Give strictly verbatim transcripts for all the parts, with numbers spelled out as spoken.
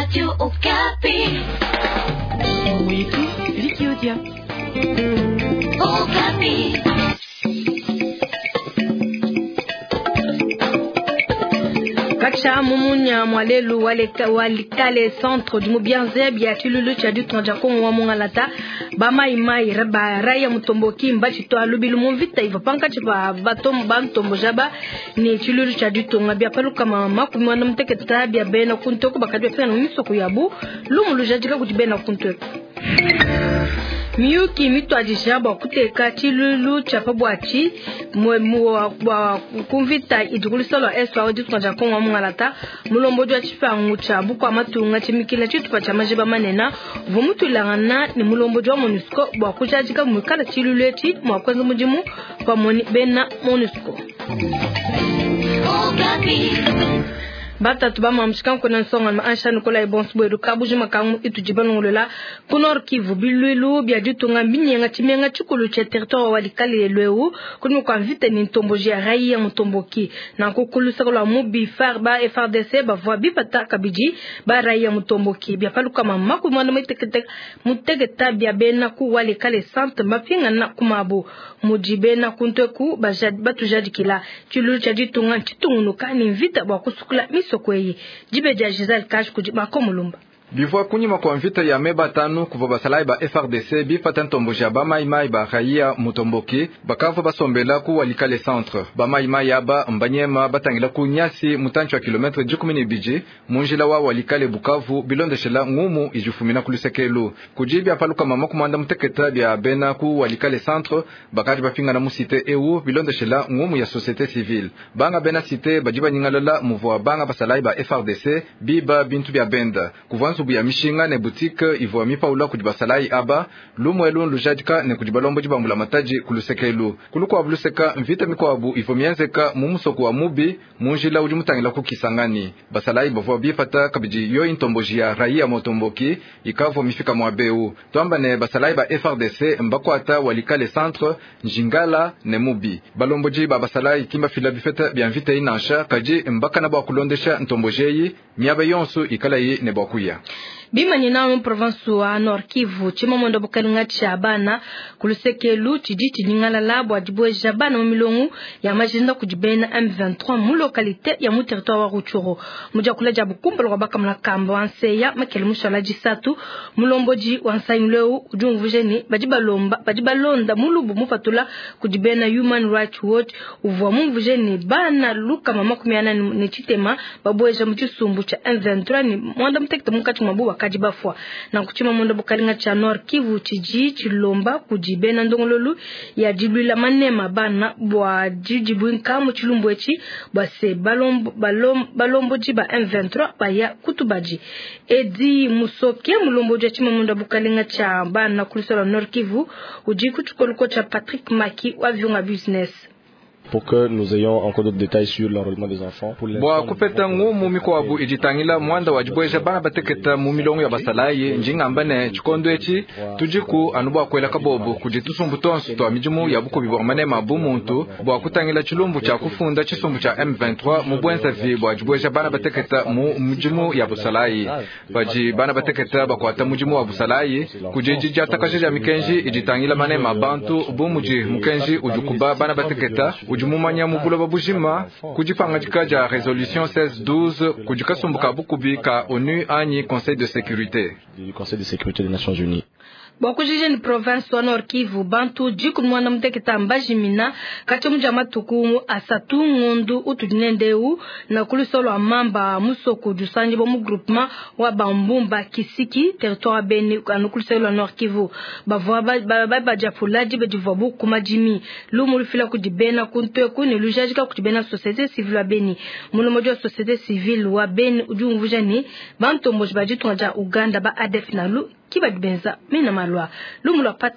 Radio Okapi. Oui, Vicky Odia. Okapi. Kacha mumunya mwalelu walikale centre du mubianze bya chilulu cha du tonja kongo wa mungalata ba mai mai ba raya mutomboki mbachi to alubilu mumvita iva panka chipa batom bantombo jaba ni chilulu cha du tonga bya paluka mama kumwana muteketa bya bena kuntoko bakadwe fena misoko yabu lumulu jadika kuti bena kuntoko miyuki mitwadija bua kuteka tshilulu tshia pabuatshi bua kumvita idikulisa lua eswa ditunga dia kongo mungalata mulombodi wa tshipangu tshia bukua matunga tshimikila tshitupa tshia majiba manene uvua mutulangana ne mulombodi wa MONUSCO bua kujadika muikala tshilulu etshi mua kuenza mudimu pamue ne bena MONUSCO. Batatu bamamshika nkona nsonga maansha nikola ebonso bwedu kabujima kangu itudi balongolola ku Nord Kivu bilwilu bya ditunga mbinyenga tshimenga tshikulu tshia territoire wa Likale lweu kuni kwa mvita ni ntomboji ya raia mutomboki na kukulusaka lwa mubi F A R ba F A R D C bavua bipata kabidi ba raia mutomboki bya paluka mama ku mwana mutekete muteketa bya bena ku Walikale centre mapingana kumabo muji bena kuntweku batujadikila tshilulu tshia ditunga tshitungunuka ni mvita bwa kusukula misokweyi jibe dia Giselle Kash kudi makomulumba. Bivua kunyima kwa mvita ya meba tanu kuvua basalayi ba F R D C bipata ntomboji ya bamaimai ba raia mutomboki bakavua basombela ku Walikale centre. Bamaimai aba mbanyema batangila ku nyasi mutantshi wa kilometre dikumi ne bidi munjila wa Walikale Bukavu bilondeshela ngumu ijifumina ku lusekelu kudi bya paluka mama kumanda muteketa bya bena ku Walikale centre bakadi bapingana mu cité eu bilondeshela ngumu ya société civile banga bena cité badi banyingalala muvua banga basalayi ba F R D C biba bintu bya benda kuvua nzubu ya mishinga ne boutique ivua mipaula kudi basalayi aba lumwelu lujadika ne kudi balombo dibambula mataji kulusekelu kulukwabu luseka mvita mikwabu ivua mienzeka mu musoko wa mubi munjila udi mutangila ku Kisangani basalayi bavua bipata kabidi yo intomboji ya raia motomboki ikavua mifika mwa beu twamba ne basalayi ba F R D C mbakwata Walikale centre njingala ne mubi balomboji ba basalayi kimba fila bifeta bya mvita inansha kaji mbakana bwa kulondesha ntombojeyi miaba yonso ikalayi ne bwa kuya. Bimanye na province wa Nord Kivu chimamondo bukalinga tshia bana kulusekelu tshidi tshinyingalala bua dibweja bana mu milongo ya majinda kudi bena M vingt-trois mu localité ya mu territoire wa Rutshuru mujakula dia bukumbalo kwa bakamula kamba wa nseya makele mushala disatu mulomboji wa nsangileu udi umvuje ne badi balomba badi balonda mulubu mupatula kudi bena Human Rights Watch uvua mumvuje ne bana luka mama makumi ana ne tshitema babweja mu tshisumbu tshia M vingt-trois ne mwanda mutekete munkatshi mwa buwa kadi bafwa na kuchima mondo bukalinga cha Nord Kivu chiji chilomba kujibena ndongololu ya dilwila manema bana bwa jijibwinka mu chilumbu echi bwa se balombo balombo balombo jiba M vingt-trois baya kutubaji edi musoke mulombo ja chima mondo bukalinga cha bana kulisola Nord Kivu uji kuchukoluko cha Patrick Maki wa Vyunga Business. Pour que nous ayons encore d'autres détails sur l'enrôlement des enfants. Bwa kupeta ngumu mikwabu ijitangila mwanda wa dibweja bana bateketa mu milongo ya basalayi njingamba ne tshikondo etshi tudiku anu bua kuela kabobu kudi tusumbu tonso twa midimu ya bukubi bua manema bu muntu bua kutangila tshilumbu tshia kufunda tshisumbu tshia M vingt-trois mu bwenzavi bua dibweja bana bateketa mu midimu ya busalayi badi bana bateketa bakuata mudimu wa busalayi kudi didiatakaja dia mikenji ijitangila manema bantu bu mudi mukenji udikuba bana bateketa udi mumanya mubuloba bujima kudipangajika dia résolution seize douze kudikasumbuka bukubi ka ONU anyi Conseil de sécurité du Conseil de sécurité des Nations Unies. Bwakujije ni province wa Nord Kivu bantu jiku mwana muteketa mbajimina kati muja matuku asatu ngundu utudinendeu na kulusolo wa mamba musoko dusanji bo mu groupement wa bambumba Kisiki territoire Beni anu kulusolo wa Nord Kivu bavua ba ba bajapula jibe divwa bu kumajimi lumu lufila kudibena kuntwe kuni lujajika kudibena société civile wa Beni mulomoji wa société civile wa Beni udi umvuja ni bantombo bajitunga ja Uganda ba A D F nalu kibadibenza mina malwa lumulwa pat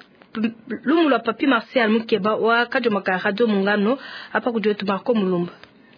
lumulwa papi Martial Mukeba wa kajomaka radio mungano apa kujwetu Marco Mulumba.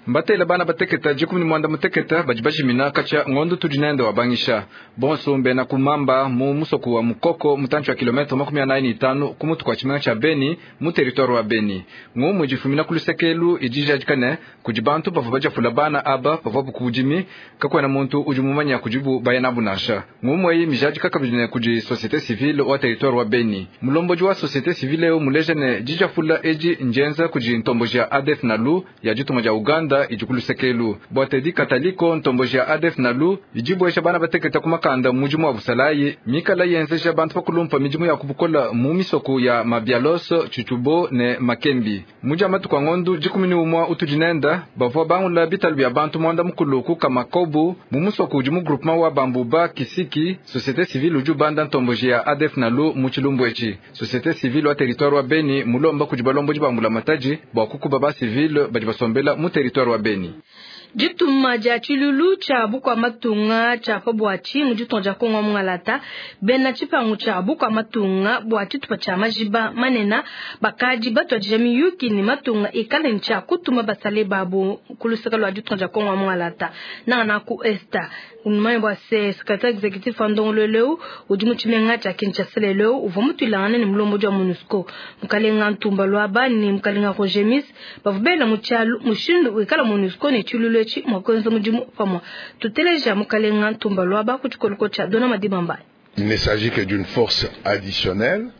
Mbatela bana bateketa dikumi ne muanda muteketa badi bajimina katshia ngondo tudi nende wabangisha bonso mbena kumamba mu musoko wa Mukoko mutantshi wa kilometre makumi anayi ne itanu ku mutu kua tshimenga tshia Beni mu territoire wa Beni. Ngumu idifumina ku lusekelu idi ijadika ne kudi bantu bavua badiafula bana aba pavuabu ku budimi, kakuena muntu udi mumanya kudibu baya nabu nansha. Ngumu eyi mijadika kabidi ne kudi société civile wa territoire wa Beni. Mulombodi wa société civile eu muleja ne dijafula edi njenza kudi ntomboji ya A D F Nalu ya ditunga dia Uganda idi ku lusekelu. Bua Teddy Kataliko ntomboji ya A D F Nalu idi buesha bana bateketa ku makanda mudimu wa busalayi mikala yenzeja bantu bakulumpa midimu ya kubukola mu misoko ya Mabialoso, Chuchubo ne Makembi. Muja matuku a ngondu dikumi ne umua utudi nenda bavua bangula bitalu bia bantu muanda mukulu ku Kamakobu mu musoko udi mu groupement wa Bambuba Kisiki. Société civile udi ubanda ntomboji ya A D F Nalu mu tshilumbu etshi. Société civile wa territoire wa Beni mulomba kudi balombodi ba mbulamatadi bua kukuba ba civile badi basombela mu territoire wa Beni. Dituma dia tshilulu tshia bukua matunga tshia pa buatshi mu ditunga dia Kongo mungalata bena tshipangu tshia bukua matunga bua tshitupa tshia majiba manena bakadi batuadija miyuki ne matunga ikale ne tshia kutuma basale babu ku luseke lua ditunga dia Kongo mungalata nangana ku Esta. Unumanye bua se secrétaire exécutif wa ndongoluelu udi mu tshimenga tshia Kinshasa lelo uvua mutuilangane ne mulombodi wa MONUSCO mukalenga Ntumba Luaba ne mukalenga Roger Miss bavua bela mu tshialu mushindu wikala MONUSCO ne tshilulu etshi mua kuenza mudimu pamue. Tuteleja mukalenga Ntumba Luaba ku tshikoloko tshia Dona Madibamba. Il ne s'agit que d'une force additionnelle.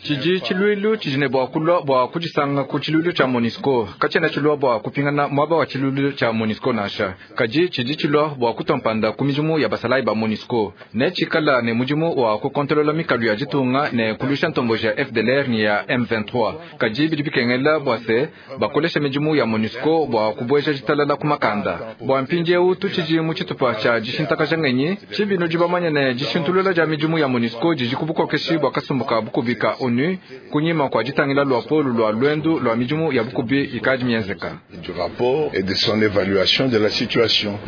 Tshidi tshiluilu tshidi ne bua kulua bua kudisanga ku tshiluilu tshia MONUSCO katshiena tshilua bua kupingana muaba wa tshiluilu tshia MONUSCO nansha, kadi tshidi tshilua bua kutompanda ku midimu ya basalayi ba MONUSCO ne tshikala ne mudimu wa kukontolola mikalu ya ditunga ne kulusha ntomboji ya F D L R ne ya M vingt-trois. Kadi bidi bikengela bua se bakolesha midimu ya MONUSCO bua kubueja ditalala ku makanda. Bua mpindieu tutshidi mu tshitupa tshia dishintakaja ngenyi tshibinu dibamanya ne dishintulula dia midimu ya MONUSCO didi ku bukokeshi bua kasumbu ka bukubi ka ONU kunyima kwa ditangila lua polu lua lwendu lua midimu ya bukubi ikadi mienzeka. Du rapport et de son évaluation de la situation.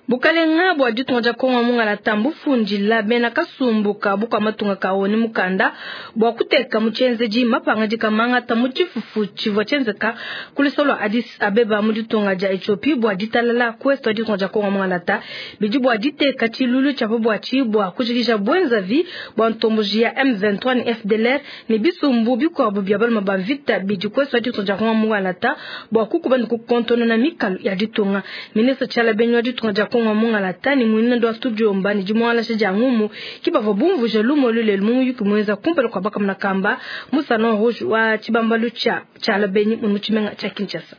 Bukalenga bua ditunga dia Kongo mungalata mbufundila bena kasumbu ka bukua matunga ka ONU mukanda bua kuteka mu tshienzedi mapangadika mangata mu tshifufu tshivua tshienzeka ku lusolo lua Addis Abeba mu ditunga dia Ethiopie bua ditalala ku est wa ditunga dia Kongo mungalata bidi bua diteka tshilulu tshia pa buatshi bua kujikija buenzavi bua ntomboji ya M vingt-trois ne F D L R ne bisumbu bikuabu bia baluma ba mvita bidi ku est wa ditunga dia Kongo mungalata bua kukuba ne kukontonona mikalu ya ditunga. Ministre Tshiala Benyi wa ditunga dia Kongo mungalata ni mwinendo wa studio mbani jimwala shaja ngumu kibava bumvuje lumo lule lumu yuki mweza kumpela kwa baka mnakamba Musa non rouge wa chibambalu cha Tshiala Benyi mu tshimenga cha Kinshasa.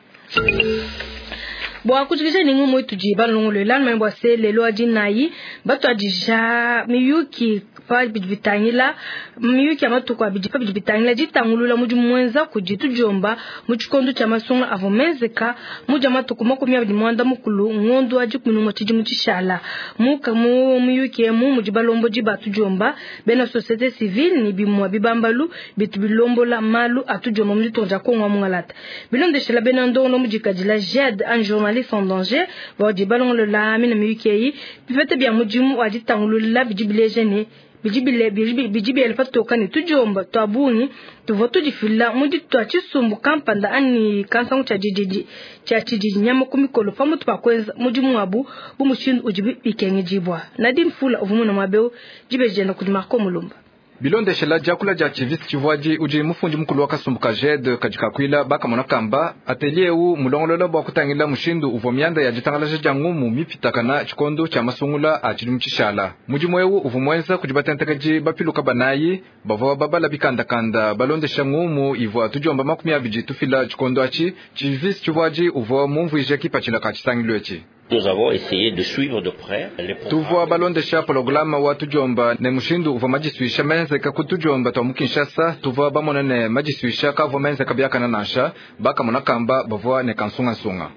Bwa kujikisha ni ngumu ituji balongolo lano mbwa se lelo adinayi batu adija miyuki pa bidibitangila miyuki ya matuku abidi pa bidibitangila ditangulula mudi mwenza kujitu jomba mu tshikondo tshia masunga avo menzeka muja matuku makumi abidi mwanda mukulu ngondo adi kumi n'umwe tshidimu tshishala muka mu miyuki emu mudi balombodi batu jomba bena société civile ni bimwa bibambalu bitu bilombola malu atu jomba mu ditunga dia Kongo mungalata bilondeshela bena ndongo mudikadila J E D un journaliste en danger badi balongolola mina miyuki eyi bipete bia mudimu wa ditangulula bidi bileja ne bidi bile bidi bile patoka ne tujomba twabungi tuvua tudifila mudi twa tshisumbu kampanda ani kansangu tshia dididi tshia tshididi nyama ku mikolo pamutu pa kuenza mudimu wabu bu mushindu udi bikengedibua. Nadine Fula uvua muna muabeu dibejenda kudi Marco Mulumba. Bilondeshela diakula dia Chivisi tshivuadi udi mufundi mukulu wa kasumbu ka J E D kadikakuila bakamona kamba atelier eu mulongolola bua kutangila mushindu uvua mianda ya ditangalaja dia ngumu mipitakana tshikondo tshia masungula a tshidimu tshishala. Mudimu eu uvua muenza kudi batentekaji bapiluka banayi bavua babala bikandakanda balondesha ngumu ivua tudiomba makumi abidi tufila tshikondo atshi. Chivisi tshivuadi uvua mumvuije kipatshila ka tshisangilu etshi. Nous avons essayé de suivre de près les programmes. Tuvua balondesha programme wa tujomba ne mushindu uvua majisuisha menzeka ku tujomba twa mu Kinshasa. Tuvua bamona ne majisuisha kavua menzeka biakana nansha bakamona kamba bavua ne kansungansunga.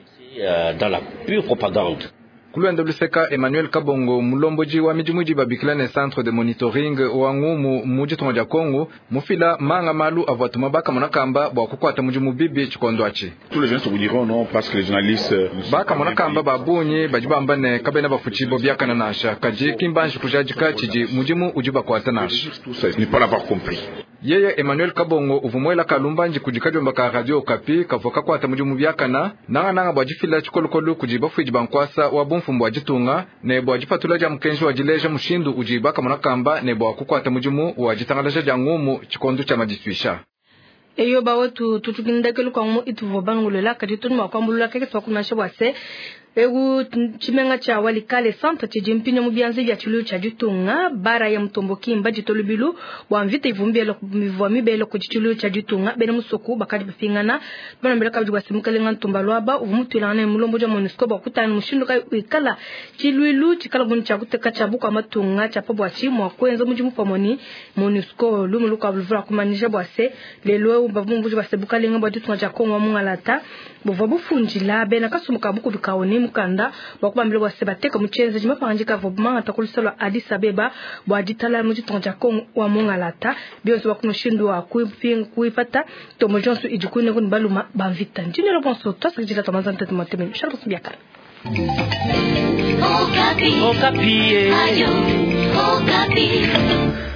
Dans la pure propagande. Kulwenda luseka Emmanuel Kabongo mulomboji wa midimu idi babikila ne centre de monitoring wa ngumu mu ditunga dia Kongo mufila manga malu avua tuma bakamona kamba bua kukuata mudimu bibi tshikondo atshi. Tous les journalistes vous diront non parce que les journalistes bakamona kamba babunyi badi bamba ne kabena bafutshibo biakana nansha kadi kimbanji kujadika tshidi mudimu udi bakuata nansha. Tout ça, ce n'est pas l'avoir compris. Yeye Emmanuel Kabongo uvumwela kalumbanji kudi kadiomba ka Radio Okapi kavua kakuata mudimu biakana nangananga bua difila tshikolokolo kudi bafuidi ba nkuasa wa bumfumbu bua ditunga ne bua dipatula dia mukenji wa dileja mushindu udi bakamona kamba ne bua kukuata mudimu wa ditangalaja dia ngumu tshikondo tshia madisuisha. Eyo bawetu tutukindakelu kwa mu ituvo bangulela kadi tunu makwambulula keke twakunasha bwase egu tshimenga tsha Walikale centre tshidi mpinyo mu bianza bya tshilu tsha ditunga bara ya mutomboki mba tolubilu bwa mvita ivumbelo mivwa mibelo ku tshilu tsha ditunga bena musoku bakadi bapingana bana mbela kabidi bwa semukalenga ntumba lwaba uvumutwilana mulombo ja MONUSCO bwa kutana mushindu kai wikala tshiluilu tshikala bunu tsha kuteka tsha bukwa matunga tsha pa bwa tshimwa kwenza mudimu pamoni MONUSCO lumulu kwa buluvula kumanisha bwa se lelo bavumbuji bwa sebukalenga bwa ditunga tsha Kongo mungalata buvwa bufunjila bena kasumuka buku bikaone mukanda bwa kubambila bwa sebateka muchenze jimapangika vobmanga takulisalwa Addis Abeba bwa ditala mu ditunga tsha Kongo wa mungalata bionso bwa kumushindu wa kuipinga kuipata tomo jonso ijikune kuni baluma bamvita njinelo bonso twasakijila tomanza ntete mateme shalbo biakara. Okapi. Okapi. Ayo, Okapi.